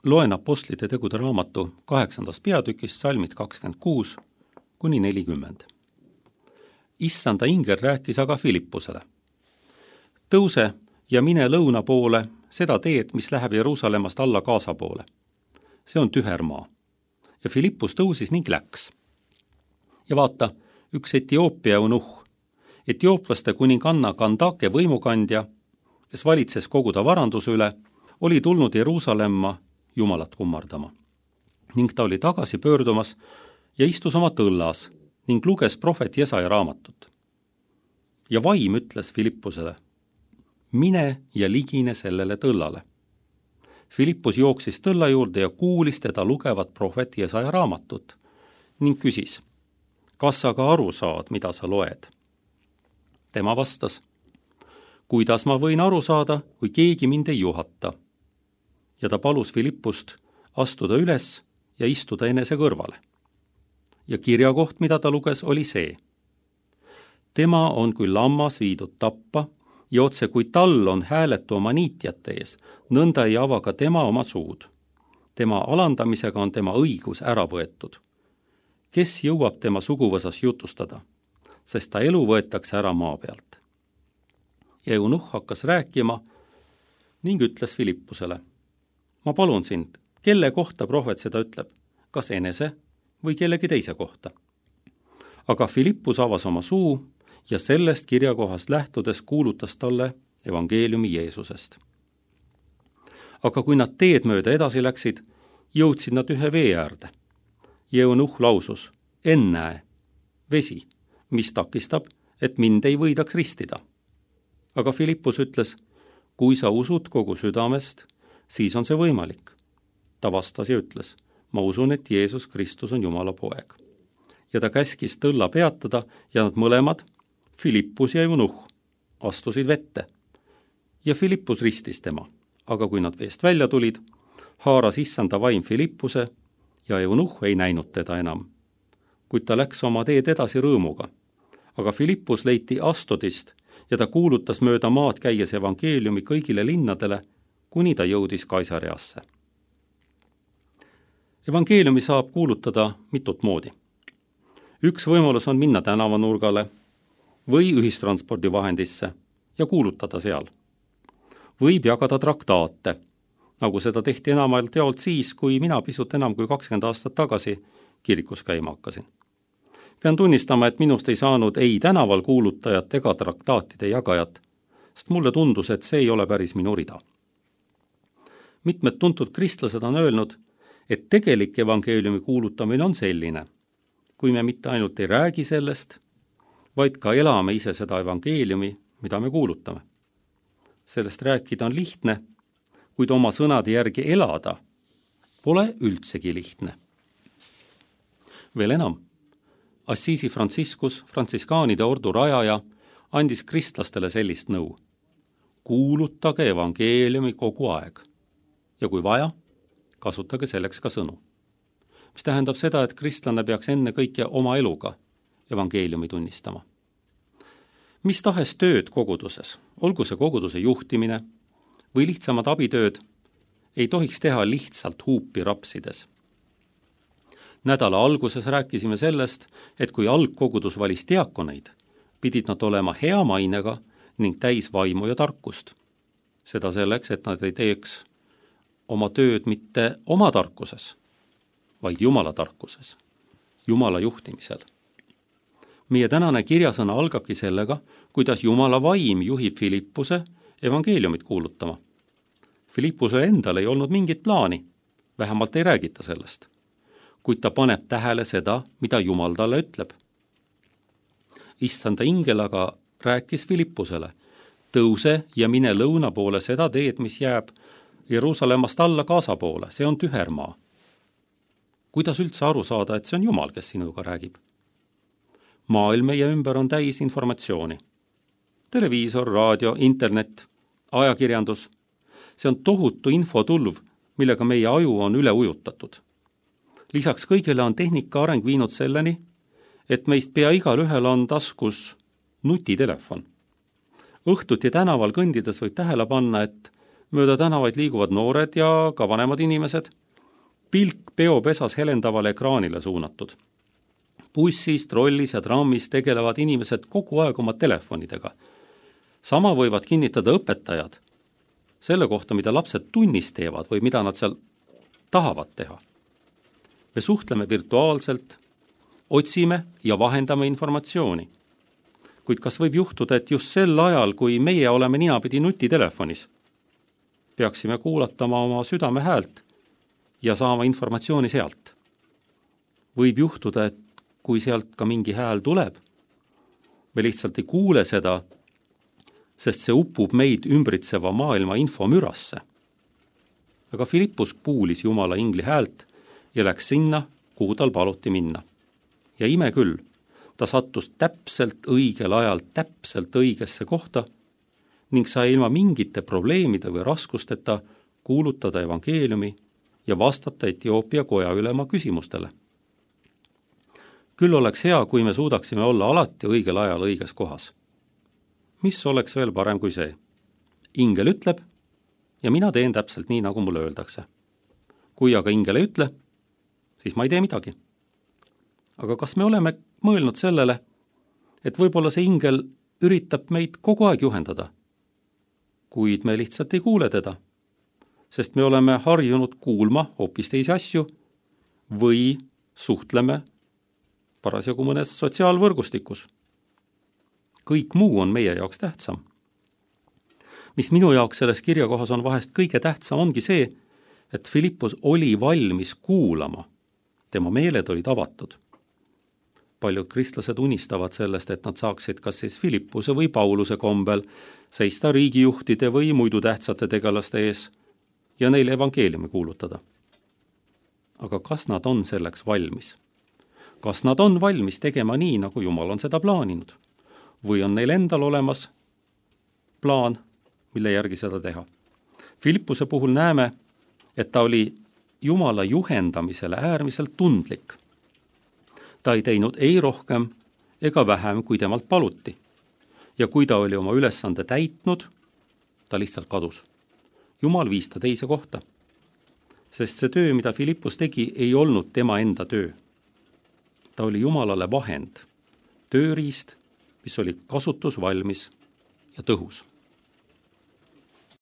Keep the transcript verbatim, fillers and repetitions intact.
loen Apostlite tegude raamatu kaheksandast peatükist salmid kakskümmend kuus kuni nelikümmend. Issanda ingel rääkis aga Filippusele. Tõuse ja mine lõuna poole seda teed, mis läheb Jeruusalemmast alla Gaasa poole. See on tüher maa. Ja Filippus tõusis ning läks. Ja vaata, üks Etioopia eunuhh, etiooplaste kuninganna Kandake võimukandja, kes valitses koguda varanduse üle, oli tulnud Jeruusalemma Jumalat kummardama. Ning ta oli tagasi pöördumas ja istus oma tõllas ning luges prohvet Jesaja raamatut. Ja vaim ütles Filippusele, mine ja ligine sellele tõllale. Filippus jooksis tõlla juurde ja kuulis teda lugevat prohvet Jesaja raamatut ning küsis, kas sa ka aru saad, mida sa loed? Tema vastas, kuidas ma võin aru saada, kui keegi mind ei juhata? Ja ta palus Filippust astuda üles ja istuda enese kõrvale. Ja kirjakoht, mida ta luges, oli see. Tema on kui lammas viidud tappa ja otse kui tal on hääletu oma niitjate ees, nõnda ei ava ka tema oma suud. Tema alandamisega on tema õigus ära võetud. Kes jõuab tema suguvõsas jutustada, sest ta elu võetakse ära maa pealt. Ja eunuhh hakkas rääkima ning ütles Filippusele, ma palun sind, kelle kohta prohvet seda ütleb, kas enese või kellegi teise kohta. Aga Filippus avas oma suu ja sellest kirjakohast lähtudes kuulutas talle evangeeliumi Jeesusest. Aga kui nad teed mööda edasi läksid, jõudsid nad ühe vee äärde. Ja eunuhh lausus, ennäe, vesi, mis takistab, et mind ei võidaks ristida. Aga Filippus ütles, kui sa usud kogu südamest, siis on see võimalik. Ta vastas ja ütles, ma usun, et Jeesus Kristus on Jumala poeg. Ja ta käskis tõlla peatada ja nad mõlemad, Filippus ja eunuhh, astusid vette. Ja Filippus ristis tema, aga kui nad veest välja tulid, haaras issanda vaim Filippuse ja eunuhh ei näinud teda enam. Kuid ta läks oma teed edasi rõõmuga. Aga Filippus leiti Astodist ja ta kuulutas mööda maad käies evangeeliumi kõigile linnadele, kuni ta jõudis Kaisareasse. Evangeeliumi saab kuulutada mitut moodi. Üks võimalus on minna tänavanurgale või ühistranspordivahendisse ja kuulutada seal. Võib jagada traktaate, nagu seda tehti enamalt jaolt siis, kui mina pisut enam kui kakskümmend aastat tagasi kirikus käima hakkasin. Pean tunnistama, et minust ei saanud ei tänaval kuulutajat ega traktaatide jagajat, sest mulle tundus, et see ei ole päris minu rida. Mitmed tuntud kristlased on öelnud, et tegelik evangeeliumi kuulutamine on selline, kui me mitte ainult ei räägi sellest, vaid ka elame ise seda evangeeliumi, mida me kuulutame. Sellest rääkida on lihtne, kuid oma sõnade järgi elada pole üldsegi lihtne. Veel enam, Assisi Franciscus, frantsiskaanide ordu rajaja, andis kristlastele sellist nõu. Kuulutage evangeeliumi kogu aeg. Ja kui vaja, kasutage selleks ka sõnu. Mis tähendab seda, et kristlane peaks enne kõike oma eluga evangeeliumi tunnistama. Mis tahes tööd koguduses, olgu see koguduse juhtimine või lihtsamad abitööd, ei tohiks teha lihtsalt huupi rapsides. Nädala alguses rääkisime sellest, et kui algkogudus valis diakoneid, pidid nad olema hea mainega ning täis vaimu ja tarkust. Seda selleks, et nad ei teeks oma tööd mitte oma tarkuses, vaid Jumala tarkuses, Jumala juhtimisel. Meie tänane kirjasõna algabki sellega, kuidas Jumala vaim juhib Filippuse evangeeliumit kuulutama. Filippusel endal ei olnud mingit plaani, vähemalt ei räägita sellest, kuid ta paneb tähele seda, mida Jumal talle ütleb. Issanda ingel aga rääkis Filippusele, tõuse ja mine lõuna poole seda teed, mis jääb Jeruusalemmast alla Gaasa poole, see on tüher maa. Kuidas üldse aru saada, et see on Jumal, kes sinuga räägib? Maailm meie ümber on täis informatsiooni. Televiisor, raadio, internet, ajakirjandus. See on tohutu infotulv, millega meie aju on üle ujutatud. Lisaks kõigele on tehnika areng viinud selleni, et meist pea igal ühel on taskus nutitelefon. Õhtuti tänaval kõndides võib tähele panna, et mööda tänavaid liiguvad noored ja ka vanemad inimesed, pilk peopesas helendavale ekraanile suunatud. Bussis, trollis ja trammis tegelevad inimesed kogu aeg oma telefonidega. Sama võivad kinnitada õpetajad selle kohta, mida lapsed tunnis teevad või mida nad seal tahavad teha. Me suhtleme virtuaalselt, otsime ja vahendame informatsiooni. Kuid kas võib juhtuda, et just sel ajal, kui meie oleme ninapidi nutitelefonis, peaksime kuulatama oma südame häält ja saama informatsiooni sealt? Võib juhtuda, et kui sealt ka mingi hääl tuleb, me lihtsalt ei kuule seda, sest see upub meid ümbritseva maailma infomürasse. Aga Filippus kuulis Jumala ingli häält ja läks sinna, kuhu tal paluti minna. Ja ime küll, ta sattus täpselt õigel ajal täpselt õigesse kohta ning sai ilma mingite probleemide või raskusteta kuulutada evangeeliumi ja vastata Etioopia koja ülema küsimustele. Küll oleks hea, kui me suudaksime olla alati õigel ajal õiges kohas. Mis oleks veel parem kui see? Ingel ütleb ja mina teen täpselt nii, nagu mulle öeldakse. Kui aga ingel ei ütle, siis ma ei tee midagi. Aga kas me oleme mõelnud sellele, et võib-olla see ingel üritab meid kogu aeg juhendada, kuid me lihtsalt ei kuule teda, sest me oleme harjunud kuulma hoopis teisi asju või suhtleme parasjagu mõnes sotsiaalvõrgustikus. Kõik muu on meie jaoks tähtsam. Mis minu jaoks selles kirjakohas on vahest kõige tähtsam, ongi see, et Filippus oli valmis kuulama. Tema meeled olid avatud. Paljud kristlased unistavad sellest, et nad saaksid kas siis Filippuse või Pauluse kombel seista riigijuhtide või muidu tähtsate tegelaste ees ja neile evangeeliumi kuulutada. Aga kas nad on selleks valmis? Kas nad on valmis tegema nii, nagu Jumal on seda plaaninud? Või on neil endal olemas plaan, mille järgi seda teha? Filippuse puhul näeme, et ta oli Jumala juhendamisele äärmiselt tundlik. Ta ei teinud ei rohkem ega vähem, kui temalt paluti. Ja kui ta oli oma ülesande täitnud, ta lihtsalt kadus. Jumal viis ta teise kohta. Sest see töö, mida Filippus tegi, ei olnud tema enda töö. Ta oli Jumalale vahend, tööriist, mis oli kasutusvalmis ja tõhus.